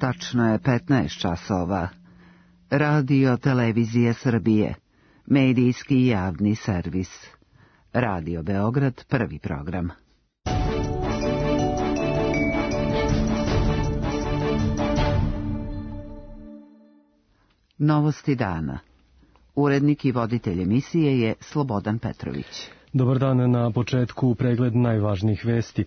Tačno je 15 časova. Radio Televizije Srbije. Medijski javni servis. Radio Beograd, prvi program. Novosti dana. Urednik i voditelj emisije je Slobodan Petrović. Dobar dan, na početku pregled najvažnijih vesti.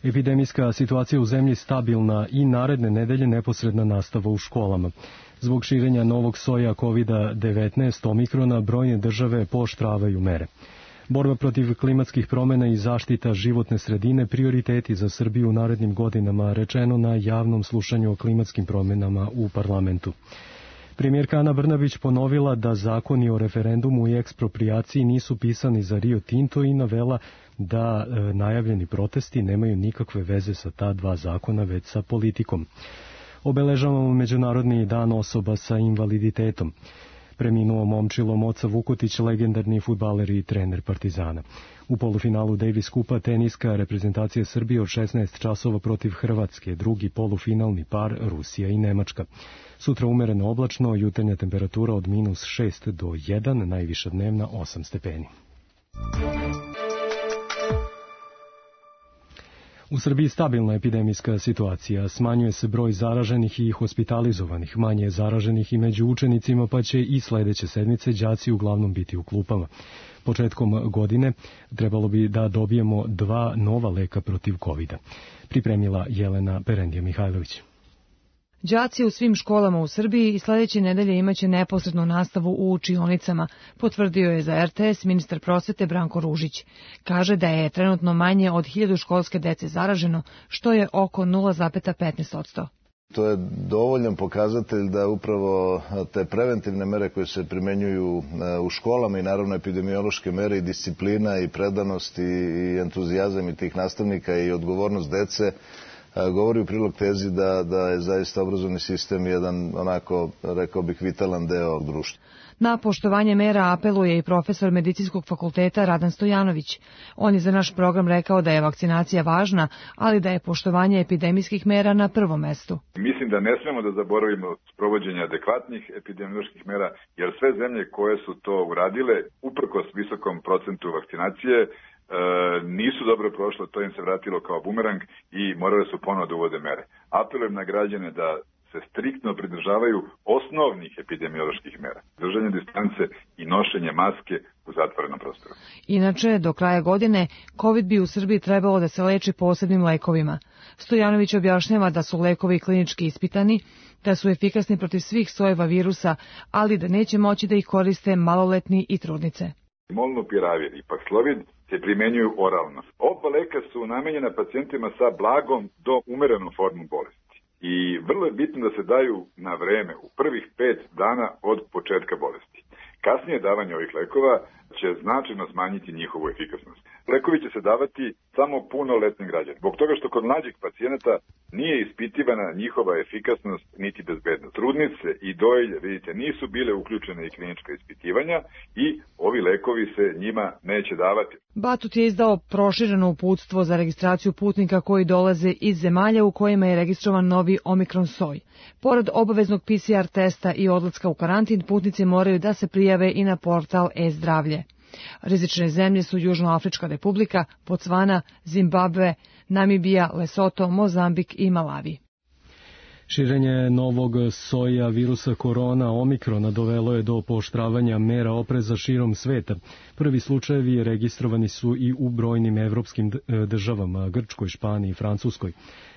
Epidemijska situacija u zemlji stabilna i naredne nedelje neposredna nastava u školama. Zbog širenja novog soja COVID-19 omikrona brojne države pooštravaju mere. Borba protiv klimatskih promjena i zaštita životne sredine prioriteti za Srbiju u narednim godinama, rečeno na javnom slušanju o klimatskim promjenama u parlamentu. Premijerka Ana Brnabić ponovila da zakoni o referendumu i eksproprijaciji nisu pisani za Rio Tinto i navela da najavljeni protesti nemaju nikakve veze sa ta dva zakona, već sa politikom. Obeležavamo Međunarodni dan osoba sa invaliditetom. Preminuo momčilo Moca Vukotić, legendarni fudbaler i trener Partizana. U polufinalu Davis Kupa teniska reprezentacija Srbije od 16 časova protiv Hrvatske, drugi polufinalni par Rusija i Nemačka. Sutra umereno oblačno, jutarnja temperatura od -6 do 1, najviša dnevna 8 stepeni. U Srbiji stabilna epidemijska situacija, smanjuje se broj zaraženih i hospitalizovanih, manje je zaraženih i među učenicima, pa će i sledeće sedmice đaci uglavnom biti u klupama. Početkom godine trebalo bi da dobijemo 2 nova leka protiv COVID-a. Pripremila Jelena Perendija-Mihajlović. Đaci u svim školama u Srbiji i sledeće nedelje imaće neposrednu nastavu u učionicama, potvrdio je za RTS ministar prosvete Branko Ružić. Kaže da je trenutno manje od 1000 školske dece zaraženo, što je oko 0,15%. To je dovoljan pokazatelj da upravo te preventivne mere koje se primenjuju u školama i naravno epidemiološke mere i disciplina i predanost i entuzijazam i tih nastavnika i odgovornost dece govori u prilog tezi da je zaista obrazovni sistem jedan, onako, rekao bih, vitalan deo društva. Na poštovanje mera apeluje i profesor Medicinskog fakulteta Radan Stojanović. On je za naš program rekao da je vakcinacija važna, ali da je poštovanje epidemijskih mera na prvom mestu. Mislim da ne smemo da zaboravimo sprovođenje adekvatnih epidemioloških mera, jer sve zemlje koje su to uradile, uprkos visokom procentu vakcinacije, nisu dobro prošle, to im se vratilo kao bumerang i morale su ponovo da uvode mere. Apelujem na građane da se striktno pridržavaju osnovnih epidemioloških mera. Držanje distance i nošenje maske u zatvorenom prostoru. Inače, do kraja godine, COVID bi u Srbiji trebalo da se leči posebnim lekovima. Stojanović objašnjava da su lekovi klinički ispitani, da su efikasni protiv svih sojeva virusa, ali da neće moći da ih koriste maloletni i trudnice. Molnupiravir i Paxlovid se primenjuju oralno. Oba leka su namenjena pacijentima sa blagom do umerenom formom bolesti. I vrlo je bitno da se daju na vreme, u prvih 5 dana od početka bolesti. Kasnije davanje ovih lekova će značajno smanjiti njihovu efikasnost. Lekovi će se davati samo punoletnim građanima. Zbog toga što kod mlađih pacijenata nije ispitivana njihova efikasnost niti bezbednost. Trudnice i dojilje, vidite, nisu bile uključene i klinička ispitivanja i ovi lekovi se njima neće davati. Batut je izdao prošireno uputstvo za registraciju putnika koji dolaze iz zemalja u kojima je registrovan novi Omikron soj. Pored obaveznog PCR testa i odlaska u karantin, putnici moraju da se prijave i na portal e-zdravlje. Rizične zemlje su Južnoafrička republika, Bocvana, Zimbabve, Namibija, Lesoto, Mozambik i Malavi. Širenje novog soja virusa korona Omikrona dovelo je do pooštravanja mera opreza širom sveta. Prvi slučajevi registrovani su i u brojnim evropskim državama, Grčkoj, Španiji i Francuskoj.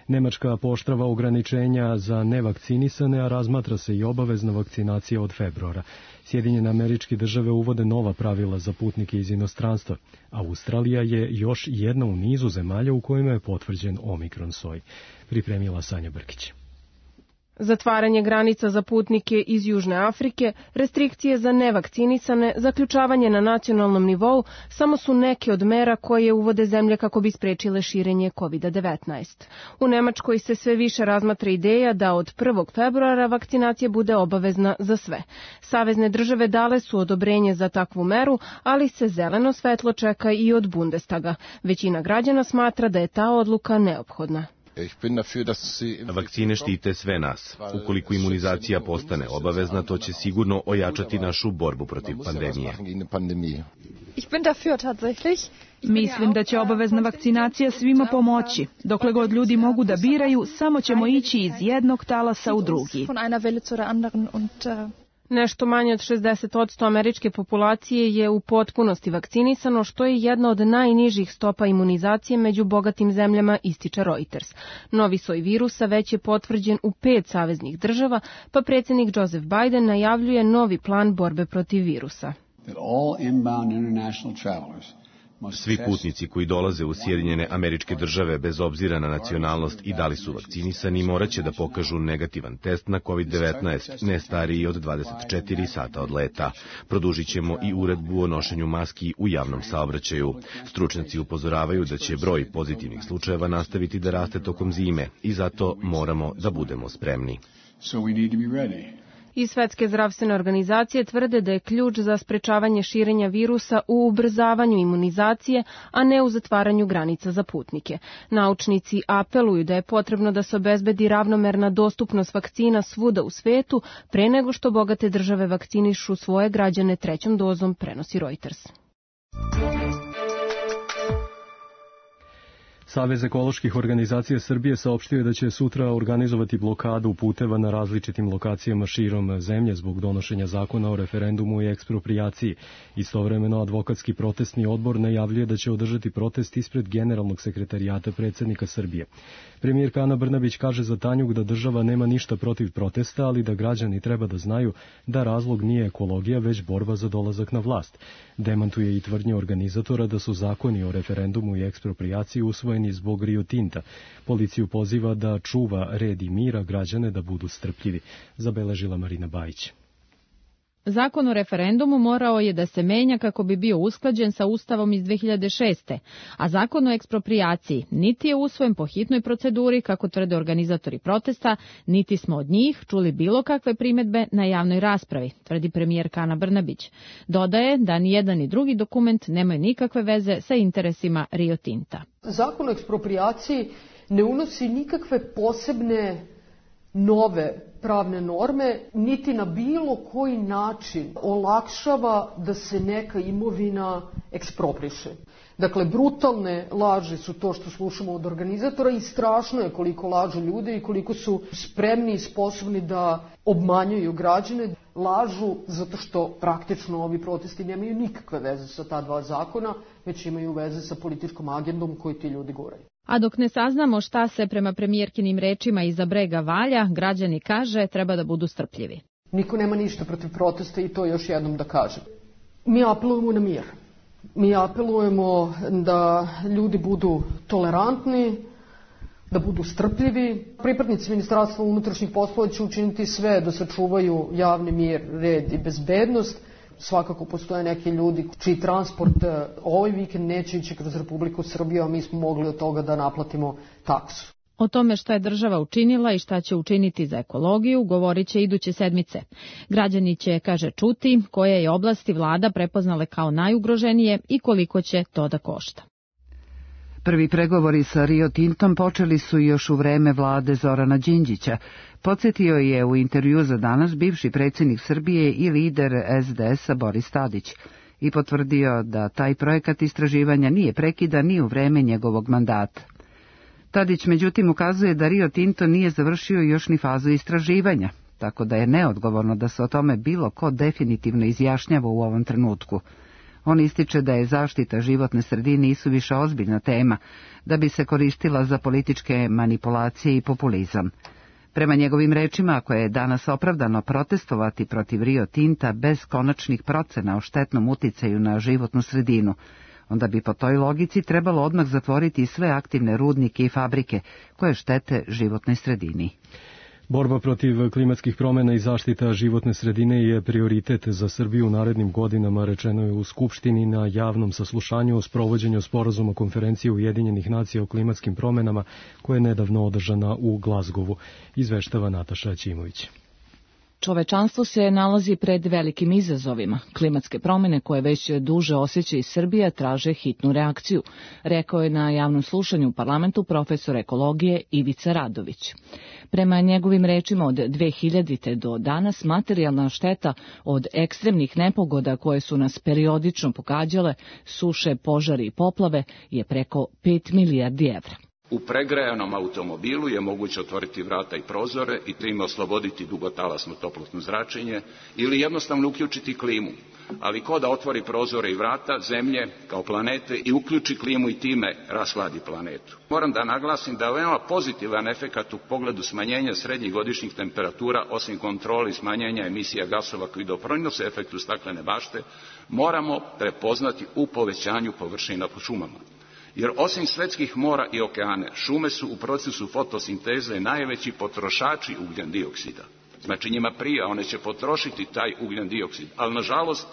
Nemačka pooštrava ograničenja za nevakcinisane, a razmatra se i obavezna vakcinacija od februara. Sjedinjene Američke Države uvode nova pravila za putnike iz inostranstva. Australija je još jedna u nizu zemalja u kojima je potvrđen Omikron soj. Pripremila Sanja Brkić. Zatvaranje granica za putnike iz Južne Afrike, restrikcije za nevakcinisane, zaključavanje na nacionalnom nivou samo su neke od mera koje uvode zemlje kako bi sprečile širenje COVID-19. U Nemačkoj se sve više razmatra ideja da od 1. februara vakcinacija bude obavezna za sve. Savezne države dale su odobrenje za takvu meru, ali se zeleno svetlo čeka i od Bundestaga. Većina građana smatra da je ta odluka neophodna. Vakcine štite sve nas. Ukoliko imunizacija postane obavezna, to će sigurno ojačati našu borbu protiv pandemije. Mislim da će obavezna vakcinacija svima pomoći. Dokle god ljudi mogu da biraju, samo ćemo ići iz jednog talasa u drugi. Nešto manje od 60% američke populacije je u potpunosti vakcinisano, što je jedna od najnižih stopa imunizacije među bogatim zemljama, ističe Reuters. Novi soj virusa već je potvrđen u 5 saveznih država, pa predsjednik Joseph Biden najavljuje novi plan borbe protiv virusa. Svi putnici koji dolaze u Sjedinjene Američke Države bez obzira na nacionalnost i da li su vakcinisani moraće da pokažu negativan test na COVID-19, ne stariji od 24 sata od leta. Produžit ćemo i uredbu o nošenju maski u javnom saobraćaju. Stručnjaci upozoravaju da će broj pozitivnih slučajeva nastaviti da raste tokom zime i zato moramo da budemo spremni. Iz Svetske zdravstvene organizacije tvrde da je ključ za sprečavanje širenja virusa u ubrzavanju imunizacije, a ne u zatvaranju granica za putnike. Naučnici apeluju da je potrebno da se obezbedi ravnomerna dostupnost vakcina svuda u svetu pre nego što bogate države vakcinišu svoje građane 3. dozom, prenosi Reuters. Savez ekoloških organizacija Srbije saopštio je da će sutra organizovati blokadu puteva na različitim lokacijama širom zemlje zbog donošenja zakona o referendumu i eksproprijaciji. Istovremeno, advokatski protestni odbor najavljuje da će održati protest ispred Generalnog sekretarijata predsjednika Srbije. Premijerka Ana Brnabić kaže za Tanjug da država nema ništa protiv protesta, ali da građani treba da znaju da razlog nije ekologija, već borba za dolazak na vlast. Demantuje i tvrdnje organizatora da su zakoni o referendumu i eksproprijaciji usvojeni zbog Rio Tinta. Policiju poziva da čuva red i mira, građane da budu strpljivi, zabeležila Marina Bajić. Zakon o referendumu morao je da se menja kako bi bio usklađen sa Ustavom iz 2006. A zakon o eksproprijaciji niti je usvojen po hitnoj proceduri, kako tvrde organizatori protesta, niti smo od njih čuli bilo kakve primedbe na javnoj raspravi, tvrdi premijerka Ana Brnabić. Dodaje da ni jedan ni drugi dokument nemaju nikakve veze sa interesima Rio Tinta. Zakon o eksproprijaciji ne unosi nikakve posebne nove pravne norme, niti na bilo koji način olakšava da se neka imovina ekspropriše. Dakle, brutalne laži su to što slušamo od organizatora i strašno je koliko lažu ljude i koliko su spremni i sposobni da obmanjuju građane. Lažu zato što praktično ovi protesti nemaju nikakve veze sa ta dva zakona, već imaju veze sa političkom agendom koju ti ljudi guraju. A dok ne saznamo šta se prema premijerkinim rečima iza brega valja, građani kaže treba da budu strpljivi. Niko nema ništa protiv protesta i to još jednom da kažem. Mi apelujemo na mir. Mi apelujemo da ljudi budu tolerantni, da budu strpljivi. Pripadnici Ministarstva unutrašnjih poslova će učiniti sve da sačuvaju javni mir, red i bezbednost. Svakako postoje neki ljudi čiji transport ovaj vikend neće ići kroz Republiku Srbiju, a mi smo mogli od toga da naplatimo taksu. O tome šta je država učinila i šta će učiniti za ekologiju govorit će iduće sedmice. Građani će, kaže, čuti koje je oblasti vlada prepoznale kao najugroženije i koliko će to da košta. Prvi pregovori sa Rio Tintom počeli su još u vreme vlade Zorana Đinđića. Podsjetio je u intervju za Danas bivši predsjednik Srbije i lider SDS-a Boris Tadić i potvrdio da taj projekat istraživanja nije prekidan ni u vreme njegovog mandata. Tadić međutim ukazuje da Rio Tinto nije završio još ni fazu istraživanja, tako da je neodgovorno da se o tome bilo ko definitivno izjašnjava u ovom trenutku. On ističe da je zaštita životne sredine isuviše ozbiljna tema, da bi se koristila za političke manipulacije i populizam. Prema njegovim rečima, ako je danas opravdano protestovati protiv Rio Tinta bez konačnih procena o štetnom uticaju na životnu sredinu, onda bi po toj logici trebalo odmah zatvoriti sve aktivne rudnike i fabrike koje štete životnoj sredini. Borba protiv klimatskih promjena i zaštita životne sredine je prioritet za Srbiju u narednim godinama, rečeno je u Skupštini na javnom saslušanju o sprovođenju sporazuma konferencije Ujedinjenih nacija o klimatskim promjenama koja je nedavno održana u Glazgovu, izveštava Nataša Ćimović. Čovečanstvo se nalazi pred velikim izazovima. Klimatske promjene koje već duže osjeća i Srbija traže hitnu reakciju, rekao je na javnom slušanju u parlamentu profesor ekologije Ivica Radović. Prema njegovim rečima od 2000. do danas materijalna šteta od ekstremnih nepogoda koje su nas periodično pogađale, suše, požari i poplave, je preko 5 milijardi evra. U pregrejanom automobilu je moguće otvoriti vrata i prozore i time osloboditi dugotalasno toplotno zračenje ili jednostavno uključiti klimu. Ali ko da otvori prozore i vrata Zemlje kao planete i uključi klimu i time rashladi planetu. Moram da naglasim da je veoma pozitivan efekat u pogledu smanjenja srednjih godišnjih temperatura, osim kontrole i smanjenja emisija gasova koji doprinose efektu staklene bašte, moramo prepoznati u povećanju površina po šumama. Jer osim svetskih mora i okeane, šume su u procesu fotosinteze najveći potrošači ugljen dioksida. Znači njima prije, one će potrošiti taj ugljen dioksid, ali nažalost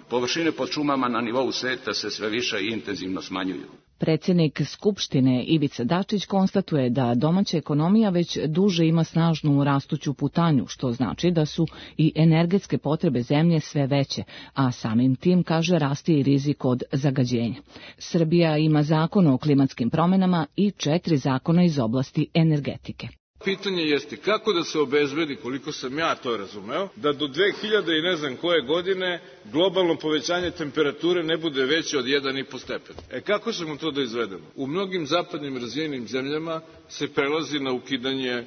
površine pod šumama na nivou sveta se sve više i intenzivno smanjuju. Predsjednik Skupštine Ivica Dačić konstatuje da domaća ekonomija već duže ima snažnu rastuću putanju, što znači da su i energetske potrebe zemlje sve veće, a samim tim, kaže, raste i rizik od zagađenja. Srbija ima zakon o klimatskim promjenama i 4 zakona iz oblasti energetike. Pitanje jeste kako da se obezbedi, koliko sam ja to razumeo, da do 2000 i ne znam koje godine globalno povećanje temperature ne bude veće od 1,5 stepen. Kako ćemo to da izvedemo? U mnogim zapadnim razvijenim zemljama se prelazi na ukidanje,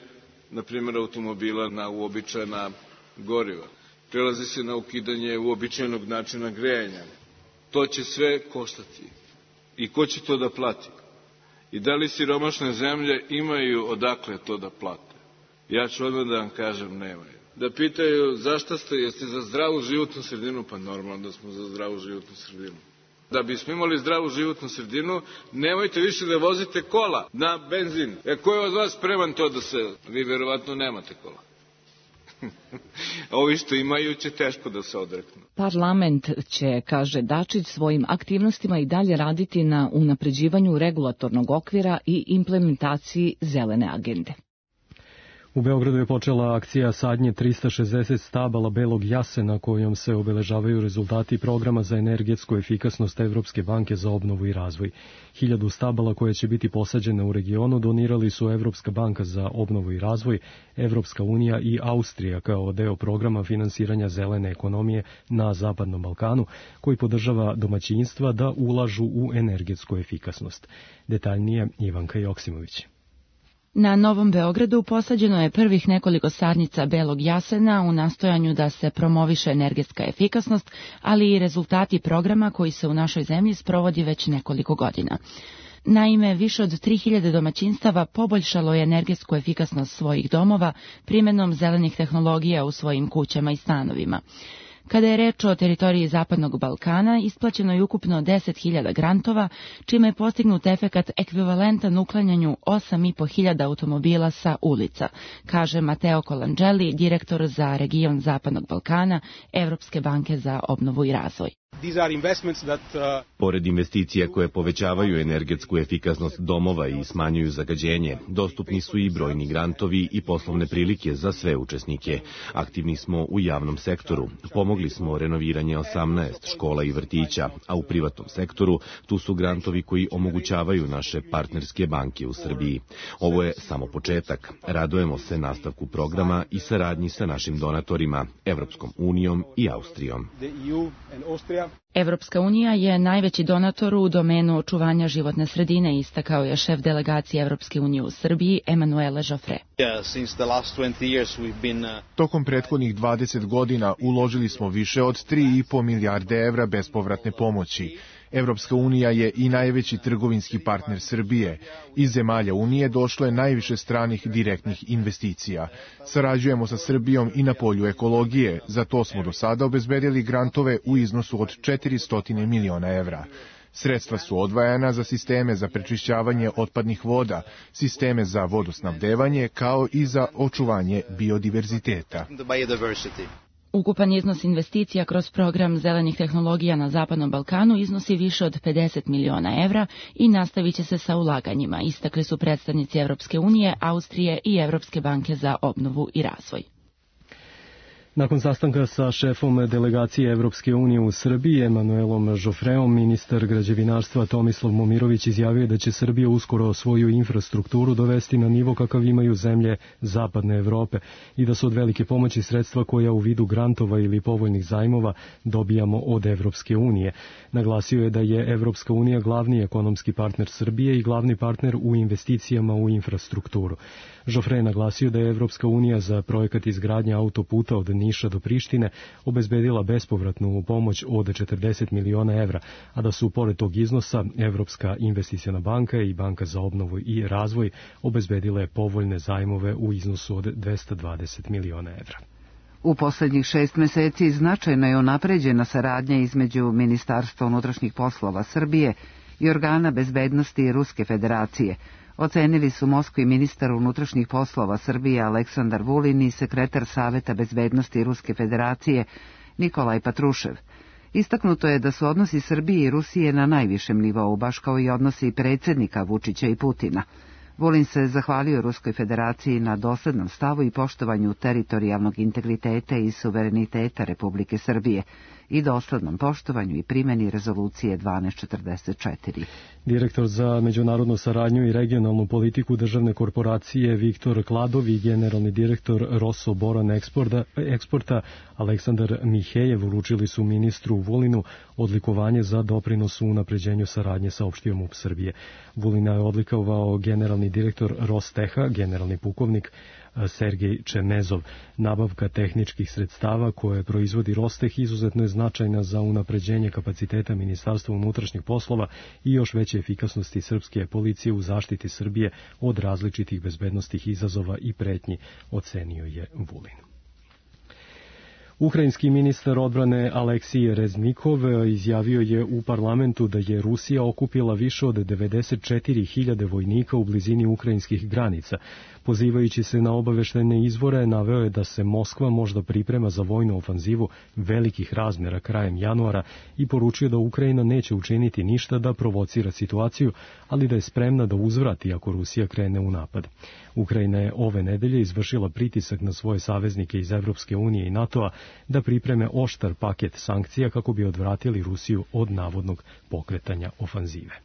na primjer, automobila na uobičajena goriva. Prelazi se na ukidanje uobičajenog načina grejanja. To će sve koštati. I ko će to da plati? I da li siromašne zemlje imaju odakle to da plate? Ja ću odmah da vam kažem, nemaju. Da pitaju zašto jeste za zdravu životnu sredinu? Pa normalno da smo za zdravu životnu sredinu. Da bismo imali zdravu životnu sredinu, nemojte više da vozite kola na benzin. Ko je od vas spreman to da se... Vi verovatno nemate kola. Ovi što imaju će teško da se odreknu. Parlament će, kaže Dačić, svojim aktivnostima i dalje raditi na unapređivanju regulatornog okvira i implementaciji zelene agende. U Beogradu je počela akcija sadnje 360 stabala belog jasena kojom se obeležavaju rezultati programa za energetsku efikasnost Evropske banke za obnovu i razvoj. 1000 stabala koje će biti posađene u regionu donirali su Evropska banka za obnovu i razvoj, Evropska unija i Austrija kao deo programa finansiranja zelene ekonomije na Zapadnom Balkanu, koji podržava domaćinstva da ulažu u energetsku efikasnost. Detaljnije Ivanka Joksimović. Na Novom Beogradu posađeno je prvih nekoliko sadnica belog jasena u nastojanju da se promoviše energetska efikasnost, ali i rezultati programa koji se u našoj zemlji sprovodi već nekoliko godina. Naime, više od 3000 domaćinstava poboljšalo je energetsku efikasnost svojih domova primjenom zelenih tehnologija u svojim kućama i stanovima. Kada je reč o teritoriji Zapadnog Balkana, isplaćeno je ukupno 10.000 grantova, čime je postignut efekat ekvivalentan uklanjanju 8.500 automobila sa ulica, kaže Mateo Colangeli, direktor za region Zapadnog Balkana, Evropske banke za obnovu i razvoj. Pored investicija koje povećavaju energetsku efikasnost domova i smanjuju zagađenje, dostupni su i brojni grantovi i poslovne prilike za sve učesnike. Aktivni smo u javnom sektoru. Pomogli smo renoviranje 18 škola i vrtića, a u privatnom sektoru tu su grantovi koji omogućavaju naše partnerske banke u Srbiji. Ovo je samo početak. Radujemo se nastavku programa i saradnji sa našim donatorima, Evropskom unijom i Austrijom. Evropska unija je najveći donator u domenu očuvanja životne sredine, istakao je šef delegacije Evropske unije u Srbiji, Emanuele Joffre. Tokom prethodnih 20 godina uložili smo više od 3,5 milijarde evra bespovratne pomoći. Evropska unija je i najveći trgovinski partner Srbije. Iz zemalja Unije došlo je najviše stranih direktnih investicija. Sarađujemo sa Srbijom i na polju ekologije. Za to smo do sada obezbedili grantove u iznosu od 400 miliona evra. Sredstva su odvajana za sisteme za prečišćavanje otpadnih voda, sisteme za vodosnabdevanje, kao i za očuvanje biodiverziteta. Ukupan iznos investicija kroz program zelenih tehnologija na Zapadnom Balkanu iznosi više od 50 miliona evra i nastavit će se sa ulaganjima, istakli su predstavnici Evropske unije, Austrije i Evropske banke za obnovu i razvoj. Nakon sastanka sa šefom delegacije Evropske unije u Srbiji, Emanuelom Žofreom, ministar građevinarstva Tomislav Momirović izjavio da će Srbija uskoro svoju infrastrukturu dovesti na nivo kakav imaju zemlje Zapadne Evrope i da su od velike pomoći sredstva koja u vidu grantova ili povoljnih zajmova dobijamo od Evropske unije. Naglasio je da je Evropska unija glavni ekonomski partner Srbije i glavni partner u investicijama u infrastrukturu. Žofre je naglasio da je Evropska unija za projekat izgradnje autoputa od Niša do Prištine obezbedila bespovratnu pomoć od 40 miliona evra, a da su pored tog iznosa Evropska investiciona banka i Banka za obnovu i razvoj obezbedile povoljne zajmove u iznosu od 220 miliona evra. U poslednjih 6 meseci značajno je unapređena saradnja između Ministarstva unutrašnjih poslova Srbije i organa bezbednosti Ruske federacije. Ocenili su Moskvi ministar unutrašnjih poslova Srbije Aleksandar Vulin i sekretar Saveta bezbednosti Ruske federacije Nikolaj Patrušev. Istaknuto je da su odnosi Srbije i Rusije na najvišem nivou, baš kao i odnosi predsjednika Vučića i Putina. Vulin se zahvalio Ruskoj federaciji na doslednom stavu i poštovanju teritorijalnog integriteta i suvereniteta Republike Srbije i doslednom poštovanju i primjeni rezolucije 1244. Direktor za međunarodnu saradnju i regionalnu politiku državne korporacije Viktor Kladov i generalni direktor Rosso Boran Eksporta Aleksandar Mihejev uručili su ministru Vulinu odlikovanje za doprinos u unapređenju saradnje sa opštijom MUP Srbije. Vulina je odlikovao generalni direktor Rosteha, generalni pukovnik Sergej Čemezov. Nabavka tehničkih sredstava koje proizvodi Rosteh izuzetno je značajna za unapređenje kapaciteta Ministarstva unutrašnjih poslova i još veće efikasnosti srpske policije u zaštiti Srbije od različitih bezbednosnih izazova i pretnji, ocenio je Vulin. Ukrajinski ministar odbrane Aleksij Reznikov izjavio je u parlamentu da je Rusija okupila više od 94.000 vojnika u blizini ukrajinskih granica. Pozivajući se na obaveštajne izvore, naveo je da se Moskva možda priprema za vojnu ofanzivu velikih razmjera krajem januara i poručio da Ukrajina neće učiniti ništa da provocira situaciju, ali da je spremna da uzvrati ako Rusija krene u napad. Ukrajina je ove nedelje izvršila pritisak na svoje saveznike iz Evropske unije i NATO-a da pripreme oštar paket sankcija kako bi odvratili Rusiju od navodnog pokretanja ofanzive.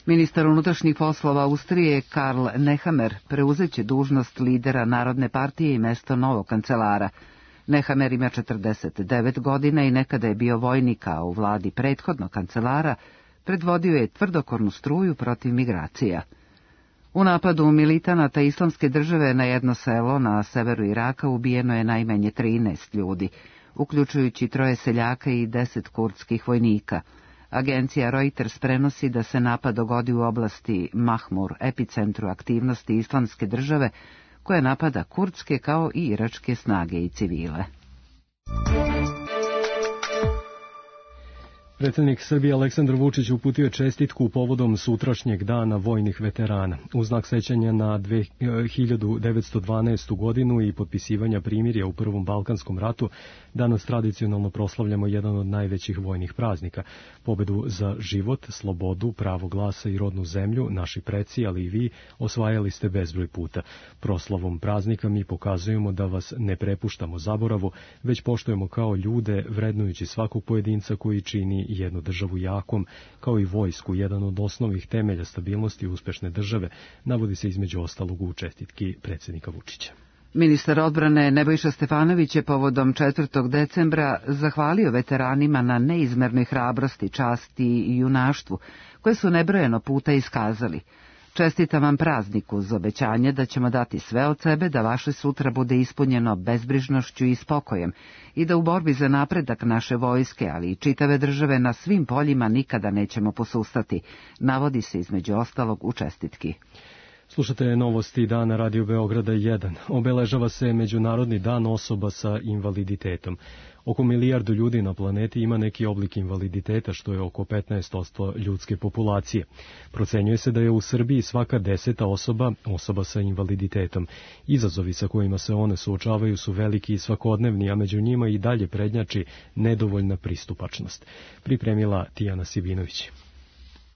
Ministar unutrašnjih poslova Austrije Karl Nehammer preuzeće dužnost lidera Narodne partije i mesto novog kancelara. Nehammer ima 49 godina i nekada je bio vojnik, a u vladi prethodnog kancelara predvodio je tvrdokornu struju protiv migracija. U napadu militanata Islamske države na jedno selo na severu Iraka ubijeno je najmanje 13 ljudi, uključujući 3 seljaka i 10 kurdskih vojnika. Agencija Reuters prenosi da se napad dogodi u oblasti Mahmur, epicentru aktivnosti Islamske države, koja napada kurdske kao i iračke snage i civile. Predsjednik Srbije Aleksandar Vučić uputio je čestitku povodom sutrašnjeg dana vojnih veterana. U znak sećanja na 1912. godinu i potpisivanja primirja u Prvom Balkanskom ratu, danas tradicionalno proslavljamo jedan od najvećih vojnih praznika. Pobedu za život, slobodu, pravo glasa i rodnu zemlju, naši preci, ali i vi, osvajali ste bezbroj puta. Proslavom praznika mi pokazujemo da vas ne prepuštamo zaboravu, već poštujemo kao ljude, vrednujući svakog pojedinca koji čini jednu državu jakom, kao i vojsku, jedan od osnovnih temelja stabilnosti uspešne države, navodi se između ostalog u čestitki predsjednika Vučića. Ministar odbrane Nebojša Stefanović je povodom 4. decembra zahvalio veteranima na neizmernoj hrabrosti, časti i junaštvu, koje su nebrojeno puta iskazali. Čestitam vam prazniku uz obećanje da ćemo dati sve od sebe da vaše sutra bude ispunjeno bezbrižnošću i spokojem i da u borbi za napredak naše vojske, ali i čitave države na svim poljima nikada nećemo posustati, navodi se između ostalog u čestitki. Slušate novosti dana Radio Beograda 1. Obeležava se Međunarodni dan osoba sa invaliditetom. Oko 1 milijardu ljudi na planeti ima neki oblik invaliditeta, što je oko 15% ljudske populacije. Procenjuje se da je u Srbiji svaka 10. osoba sa invaliditetom. Izazovi sa kojima se one suočavaju su veliki i svakodnevni, a među njima i dalje prednjači nedovoljna pristupačnost. Pripremila Tijana Sibinović.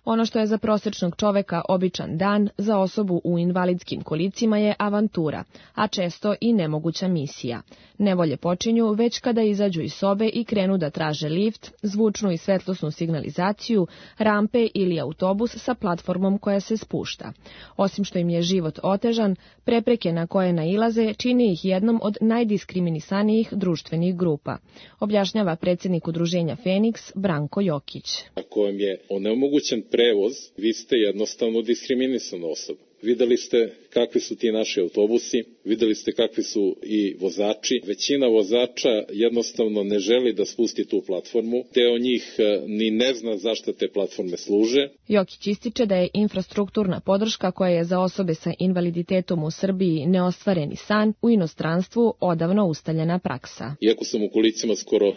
Ono što je za prosječnog čoveka običan dan, za osobu u invalidskim kolicima je avantura, a često i nemoguća misija. Nevolje počinju već kada izađu iz sobe i krenu da traže lift, zvučnu i svetlosnu signalizaciju, rampe ili autobus sa platformom koja se spušta. Osim što im je život otežan, prepreke na koje nailaze čini ih jednom od najdiskriminisanijih društvenih grupa, objašnjava predsjednik udruženja Feniks Branko Jokić. Ako vam je onemogućen prevoz, vi ste jednostavno diskriminisana osoba. Videli ste kakvi su ti naši autobusi, videli ste kakvi su i vozači. Većina vozača jednostavno ne želi da spusti tu platformu, deo njih ni ne zna zašto te platforme služe. Jokić ističe da je infrastrukturna podrška koja je za osobe sa invaliditetom u Srbiji neostvareni san, u inostranstvu odavno ustaljena praksa. Iako sam u kolicima skoro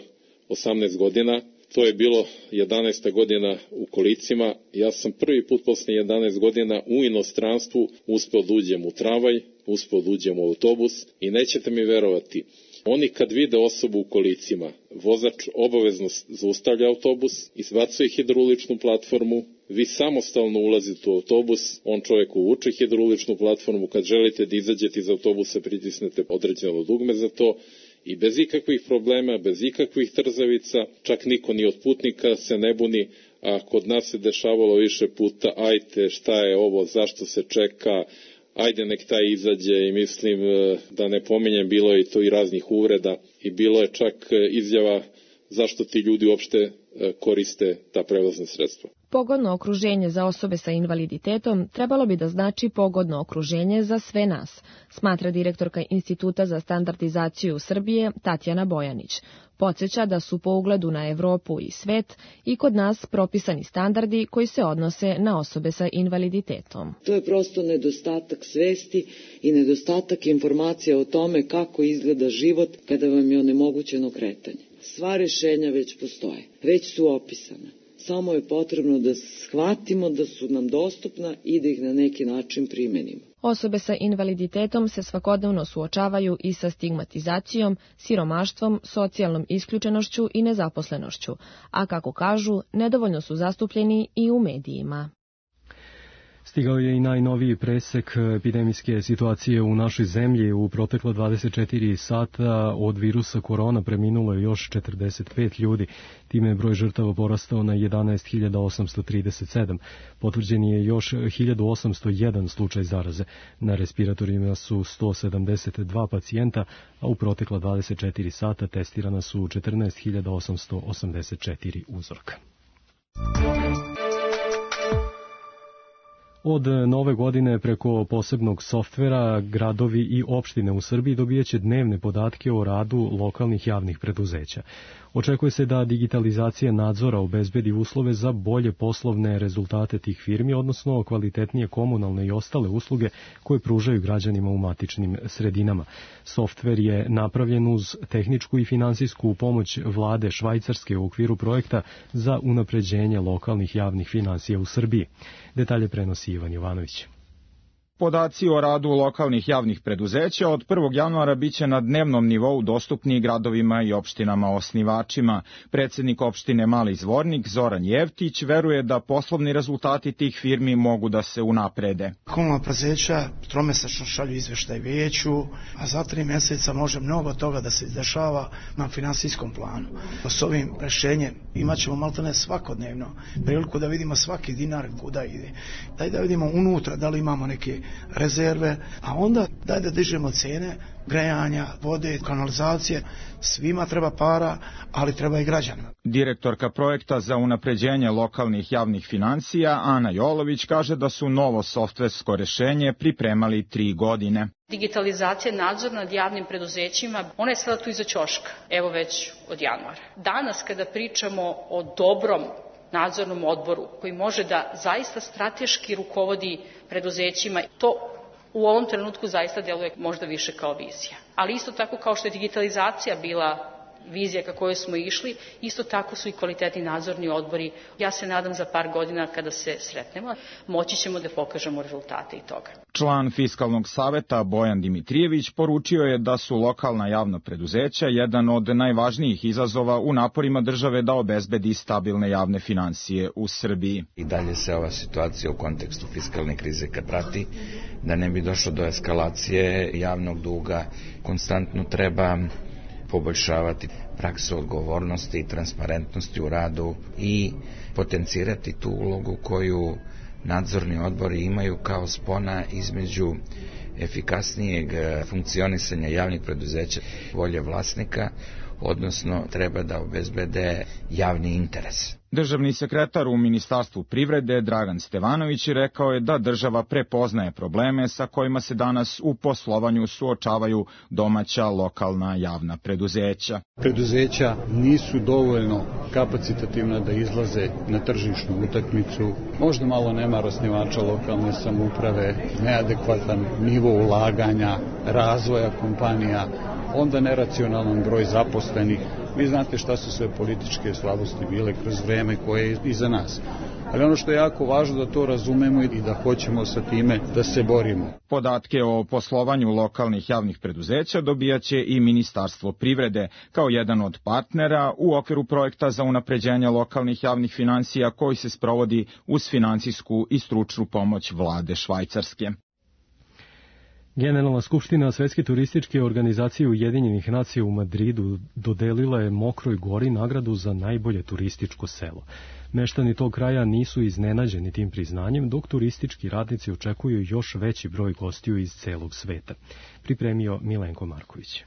18 godina, to je bilo 11. godina u kolicima. Ja sam prvi put posle 11 godina u inostranstvu uspeo da uđem u tramvaj, uspeo da uđem u autobus i nećete mi verovati, oni kad vide osobu u kolicima, vozač obavezno zaustavlja autobus, izbacuje hidrauličnu platformu, vi samostalno ulazite u autobus, on čovjek uvuče hidrauličnu platformu, kad želite da izađete iz autobusa pritisnete određeno dugme za to, i bez ikakvih problema, bez ikakvih trzavica, čak niko ni od putnika se ne buni, a kod nas se dešavalo više puta, ajte šta je ovo, zašto se čeka, ajde nek taj izađe, i mislim da ne pominjem, bilo je to i raznih uvreda i bilo je čak izjava zašto ti ljudi uopšte koriste ta prevozna sredstva. Pogodno okruženje za osobe sa invaliditetom trebalo bi da znači pogodno okruženje za sve nas, smatra direktorka Instituta za standardizaciju Srbije Tatjana Bojanić. Podsjeća da su po ugledu na Evropu i svet i kod nas propisani standardi koji se odnose na osobe sa invaliditetom. To je prosto nedostatak svesti i nedostatak informacija o tome kako izgleda život kada vam je onemogućeno kretanje. Sva rešenja već postoje, već su opisana. Samo je potrebno da shvatimo da su nam dostupna i da ih na neki način primenimo. Osobe sa invaliditetom se svakodnevno suočavaju i sa stigmatizacijom, siromaštvom, socijalnom isključenošću i nezaposlenošću, a kako kažu, nedovoljno su zastupljeni i u medijima. Stigao je i najnoviji presek epidemijske situacije u našoj zemlji. U proteklo 24 sata od virusa korona preminulo je još 45 ljudi. Time je broj žrtava porastao na 11.837. Potvrđen je još 1.801 slučaj zaraze. Na respiratorima su 172 pacijenta, a u protekla 24 sata testirana su 14.884 uzorka. Od nove godine preko posebnog softvera gradovi i opštine u Srbiji dobijaće dnevne podatke o radu lokalnih javnih preduzeća. Očekuje se da digitalizacija nadzora obezbedi uslove za bolje poslovne rezultate tih firmi, odnosno kvalitetnije komunalne i ostale usluge koje pružaju građanima u matičnim sredinama. Softver je napravljen uz tehničku i finansijsku pomoć vlade Švajcarske u okviru projekta za unapređenje lokalnih javnih finansija u Srbiji. Detalje prenosi Ivan Jovanović. Podaci o radu lokalnih javnih preduzeća od 1. januara biće na dnevnom nivou dostupni gradovima i opštinama osnivačima. Predsjednik opštine Mali Zvornik Zoran Jevtić veruje da poslovni rezultati tih firmi mogu da se unaprede. Komunalna preduzeća tromesečno šalju izveštaj vijeću, a za 3 mjeseca može mnogo toga da se dešava na finansijskom planu. S ovim rešenjem imat ćemo maltene svakodnevno priliku da vidimo svaki dinar kuda ide. Daj da vidimo unutra da li imamo neke rezerve, a onda daj da dižemo cene grejanja, vode, kanalizacije. Svima treba para, ali treba i građanima. Direktorka projekta za unapređenje lokalnih javnih financija Ana Jolović kaže da su novo softversko rešenje pripremali 3 godine. Digitalizacija nadzor nad javnim preduzećima, ona je sada tu iza ćoška, evo već od januara. Danas kada pričamo o dobrom nadzornom odboru koji može da zaista strateški rukovodi preduzećima, to u ovom trenutku zaista deluje možda više kao vizija. Ali isto tako kao što je digitalizacija bila vizija ka kojoj smo išli, isto tako su i kvalitetni nadzorni odbori. Ja se nadam za par godina kada se sretnemo, moći ćemo da pokažemo rezultate i toga. Član Fiskalnog saveta Bojan Dimitrijević poručio je da su lokalna javna preduzeća jedan od najvažnijih izazova u naporima države da obezbedi stabilne javne finansije u Srbiji. I dalje se ova situacija u kontekstu fiskalne krize kad prati, da ne bi došlo do eskalacije javnog duga, konstantno treba poboljšavati praksu odgovornosti i transparentnosti u radu i potencirati tu ulogu koju nadzorni odbori imaju kao spona između efikasnijeg funkcionisanja javnih preduzeća, volje vlasnika, odnosno treba da obezbede javni interes. Državni sekretar u Ministarstvu privrede Dragan Stevanović rekao je da država prepoznaje probleme sa kojima se danas u poslovanju suočavaju domaća lokalna javna preduzeća. Preduzeća nisu dovoljno kapacitativna da izlaze na tržišnu utakmicu, možda malo nemar osnivača lokalne samouprave, neadekvatan nivo ulaganja, razvoja kompanija, onda neracionalan broj zaposlenih. Vi znate šta su sve političke slabosti bile kroz vreme koje je iza nas. Ali ono što je jako važno da to razumemo i da hoćemo sa time da se borimo. Podatke o poslovanju lokalnih javnih preduzeća dobijaće i Ministarstvo privrede kao jedan od partnera u okviru projekta za unapređenje lokalnih javnih finansija koji se sprovodi uz finansijsku i stručnu pomoć vlade Švajcarske. Generalna skupština Svetske turističke organizacije Ujedinjenih nacija u Madridu dodelila je Mokroj Gori nagradu za najbolje turističko selo. Meštani tog kraja nisu iznenađeni tim priznanjem, dok turistički radnici očekuju još veći broj gostiju iz celog sveta. Pripremio Milenko Marković.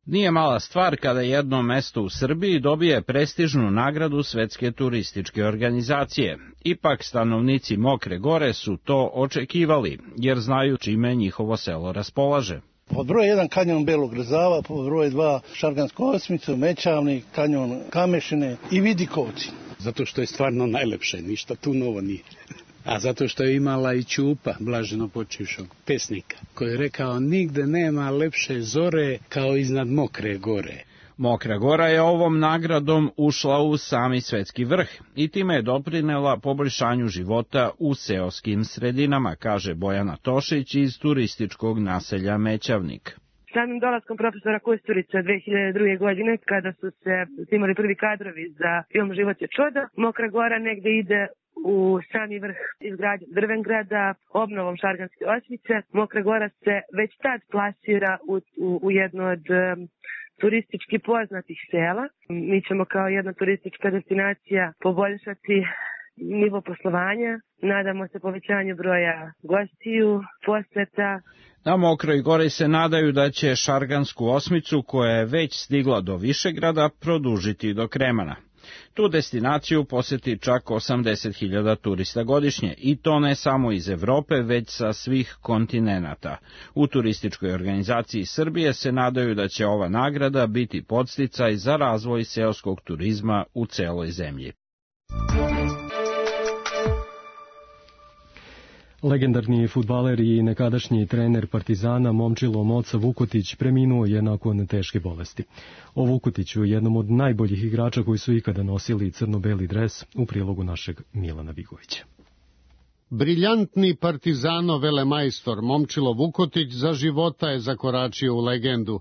Nije mala stvar kada jedno mesto u Srbiji dobije prestižnu nagradu Svetske turističke organizacije. Ipak stanovnici Mokre Gore su to očekivali, jer znaju čime njihovo selo raspolaže. Pod broj 1 kanjon Belog Rzava, pod broj 2 Šargansku osmicu, Mećavnik, kanjon Kamešine i Vidikovci. Zato što je stvarno najlepše, ništa tu novo nije. A zato što je imala i Ćupa, blaženo počivšog pesnika, koji je rekao nigde nema lepše zore kao iznad Mokre Gore. Mokra Gora je ovom nagradom ušla u sami svetski vrh i time je doprinela poboljšanju života u seoskim sredinama, kaže Bojana Tošić iz turističkog naselja Mećavnik. Samim dolaskom profesora Kusturića 2002. godine, kada su se snimali prvi kadrovi za film Život je čudo, Mokra Gora negde ide u sami vrh izgradnje Drvengrada, obnovom Šarganske osmice. Mokra Gora se već tad plasira u jedno od turistički poznatih sela. Mi ćemo kao jedna turistička destinacija poboljšati nivo poslovanja, nadamo se povećanju broja gostiju, poseta. Na Mokroj Gori se nadaju da će Šargansku osmicu, koja je već stigla do Višegrada, produžiti do Kremana. Tu destinaciju poseti čak 80.000 turista godišnje, i to ne samo iz Evrope, već sa svih kontinenata. U turističkoj organizaciji Srbije se nadaju da će ova nagrada biti podsticaj za razvoj seoskog turizma u celoj zemlji. Legendarni fudbaler i nekadašnji trener Partizana Momčilo Moca Vukotić preminuo je nakon teške bolesti. O Vukotiću, jednom od najboljih igrača koji su ikada nosili crno-beli dres, u prilogu našeg Milana Vigovića. Briljantni Partizanov velemajstor Momčilo Vukotić za života je zakoračio u legendu.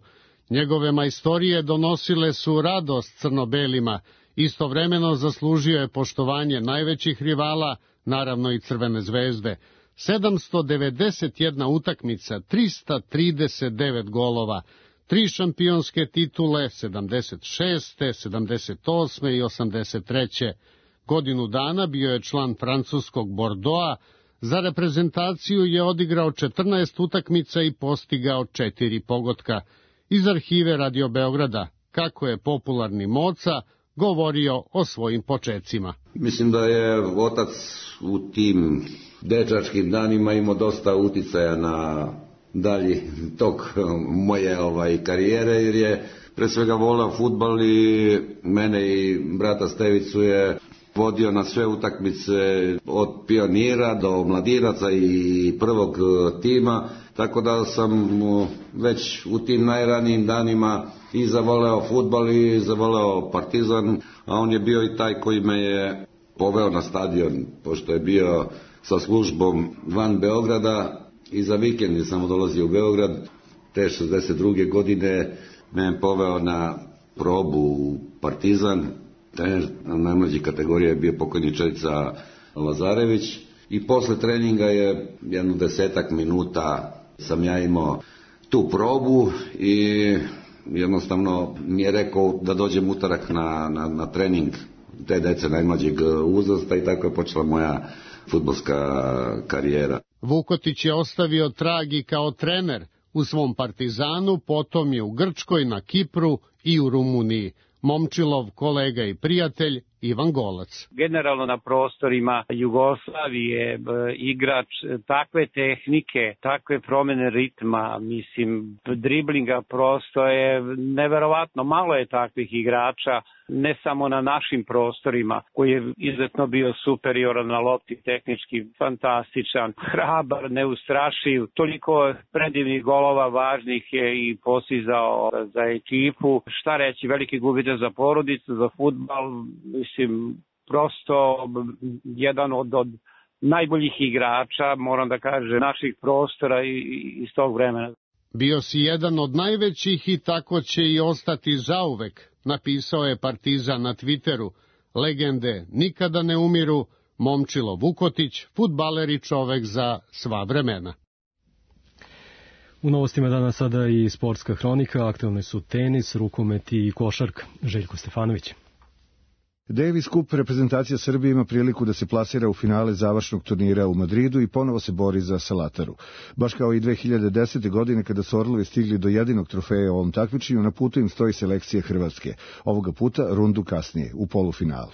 Njegove majstorije donosile su radost crno-belima, istovremeno zaslužio je poštovanje najvećih rivala, naravno i Crvene zvezde. 791 utakmica, 339 golova, 3 šampionske titule, 76., 78. i 83. Godinu dana bio je član francuskog Bordeauxa, za reprezentaciju je odigrao 14 utakmica i postigao 4 pogotka. Iz arhive Radio Beograda, kako je popularni Moca govorio o svojim počecima. Mislim da je otac u tim dečačkim danima imao dosta uticaja na dalji tok moje karijere, jer je pre svega voleo fudbal i mene i brata Stevicu je vodio na sve utakmice od pionira do mladinaca i prvog tima, tako da sam već u tim najranijim danima i zavoleo fudbal i zavoleo Partizan, a on je bio i taj koji me je poveo na stadion, pošto je bio sa službom van Beograda i za vikend je samo dolazio u Beograd. Te 62. godine me je poveo na probu u Partizan. Trener najmlađe kategorije je bio pokojni Čelica Lazarević i posle treninga je jedno 10 minuta sam ja imao tu probu i jednostavno mi je rekao da dođem utorak na trening te dece najmlađeg uzrasta i tako je počela moja fudbalska karijera. Vukotić je ostavio trag i kao trener u svom Partizanu, potom je u Grčkoj, na Kipru i u Rumuniji. Momčilov kolega i prijatelj Ivan Golac. Generalno na prostorima Jugoslavije igrač takve tehnike, takve promene ritma, mislim, driblinga, prosto je neverovatno. Malo je takvih igrača, ne samo na našim prostorima, koji je izuzetno bio superioran na lopti, tehnički fantastičan, hrabar, neustrašiv, toliko predivnih golova važnih je i postizao za ekipu. Šta reći, veliki gubitak za porodicu, za fudbal, mislim, prosto jedan od najboljih igrača, moram da kažem, naših prostora i iz tog vremena. Bio si jedan od najvećih i tako će i ostati zauvek, napisao je Partizan na Twitteru. Legende nikada ne umiru, Momčilo Vukotić, fudbaler i čovek za sva vremena. U novostima danas sada i sportska hronika, aktualne su tenis, rukomet i košarka. Željko Stefanović. Davis Cup reprezentacija Srbije ima priliku da se plasira u finale završnog turnira u Madridu i ponovo se bori za Salataru. Baš kao i 2010. godine kada su Orlovi stigli do jedinog trofeja u ovom takmičenju, na putu im stoji selekcija Hrvatske. Ovoga puta rundu kasnije, u polufinalu.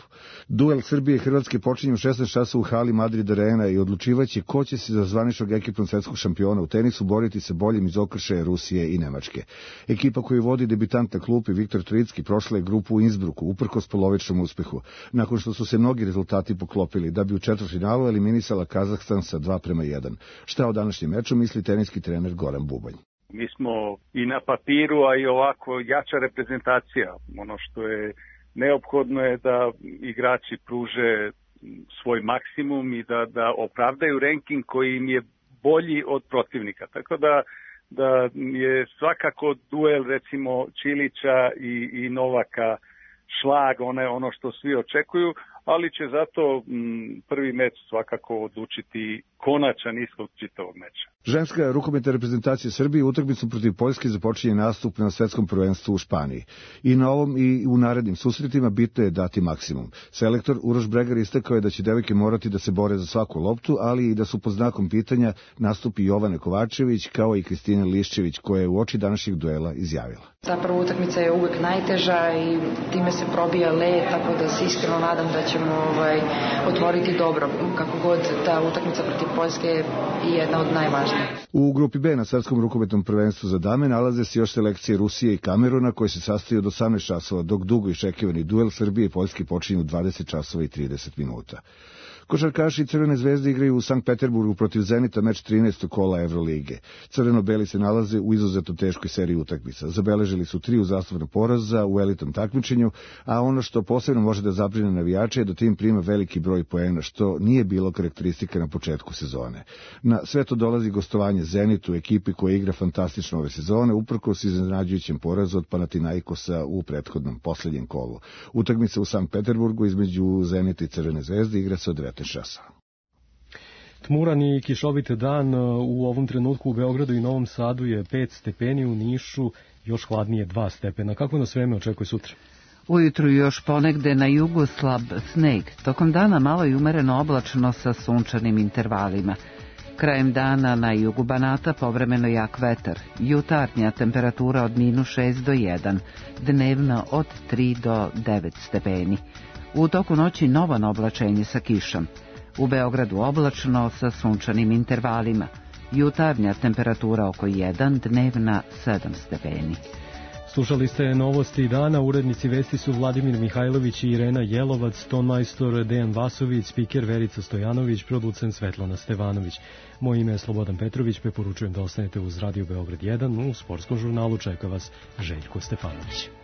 Duel Srbije i Hrvatske počinje u 16 časa u hali Madrid Arena i odlučivaće ko će se za zvaničnog ekipnog svetskog šampiona u tenisu boriti sa boljim iz okršaja Rusije i Nemačke. Ekipa koju vodi debitant na klupi Viktor Tricki prošla je grupu u Innsbrucku, uprkos polovičnom uspehu, nakon što su se mnogi rezultati poklopili, da bi u četvrtfinalu eliminisala Kazahstan sa 2:1. Šta o današnjem meču misli teniski trener Goran Bubanj? Mi smo i na papiru, a i ovako jača reprezentacija. Ono što je neophodno je da igrači pruže svoj maksimum i da opravdaju ranking koji im je bolji od protivnika. Tako da je svakako duel recimo Čilića i Novaka šlag, ono što svi očekuju, ali će zato prvi meč svakako odlučiti konačan ishod čitavog meča. Ženska rukometna reprezentacija Srbije utakmicu protiv Poljske započinje nastup na svetskom prvenstvu u Španiji. I na ovom i u narednim susretima bitno je dati maksimum. Selektor Uroš Bregar istakao je da će devojke morati da se bore za svaku loptu, ali i da su pod znakom pitanja nastupi Jovane Kovačević kao i Kristina Liščević, koja je u oči današnjeg duela izjavila. Zapravo utakmica je uvek najteža i time se probija led, tako da se iskreno nadam da ćemo otvoriti dobro, kako god ta utakmica protiv Poljske je jedna od najvažnijih. U grupi B na svetskom rukometnom prvenstvu za dame nalaze se još selekcije Rusije i Kameruna koje se sastaju od 18 časova, dok dugo iščekivani duel Srbije i Poljske počinje u 20 časova i 30 minuta. Košarkaši Crvene zvezde igraju u Sankt Peterburgu protiv Zenita meč 13. kola Evrolige. Crveno-beli se nalaze u izuzetno teškoj seriji utakmica. Zabeležili su 3 uzastopna poraza u elitnom takmičenju, a ono što posebno može da zabrine navijače je da tim prima veliki broj poena, što nije bilo karakteristika na početku sezone. Na sve to dolazi gostovanje Zenitu, ekipi koja igra fantastično ove sezone, uprkos iznenađujućem porazu od Panathinaikosa u prethodnom posljednjem kolu. Utakmica u Sankt Peterburgu između Zenita i Crvene zvezde igra se od 19 časa. Tmuran i kišovit dan u ovom trenutku u Beogradu i Novom Sadu je 5 stepeni, u Nišu još hladnije 2 stepena. Kako nas vreme očekuje sutra? Ujutru još ponegde na jugu slab sneg. Tokom dana malo i umereno oblačno sa sunčanim intervalima. Krajem dana na jugu Banata povremeno jak vetar. Jutarnja temperatura od -6 do 1, dnevno od 3 do 9 stepeni. U toku noći novo oblačenje sa kišom. U Beogradu oblačno sa sunčanim intervalima. Jutarnja temperatura oko 1, dnevna 7 stepeni. Slušali ste novosti dana, urednici vesti su Vladimir Mihajlović i Irena Jelovac, tonmajstor Dejan Vasović, spiker Verica Stojanović, producent Svetlana Stevanović. Moje ime je Slobodan Petrović, preporučujem da ostanete uz Radio Beograd 1, u sportskom žurnalu čeka vas Željko Stefanović.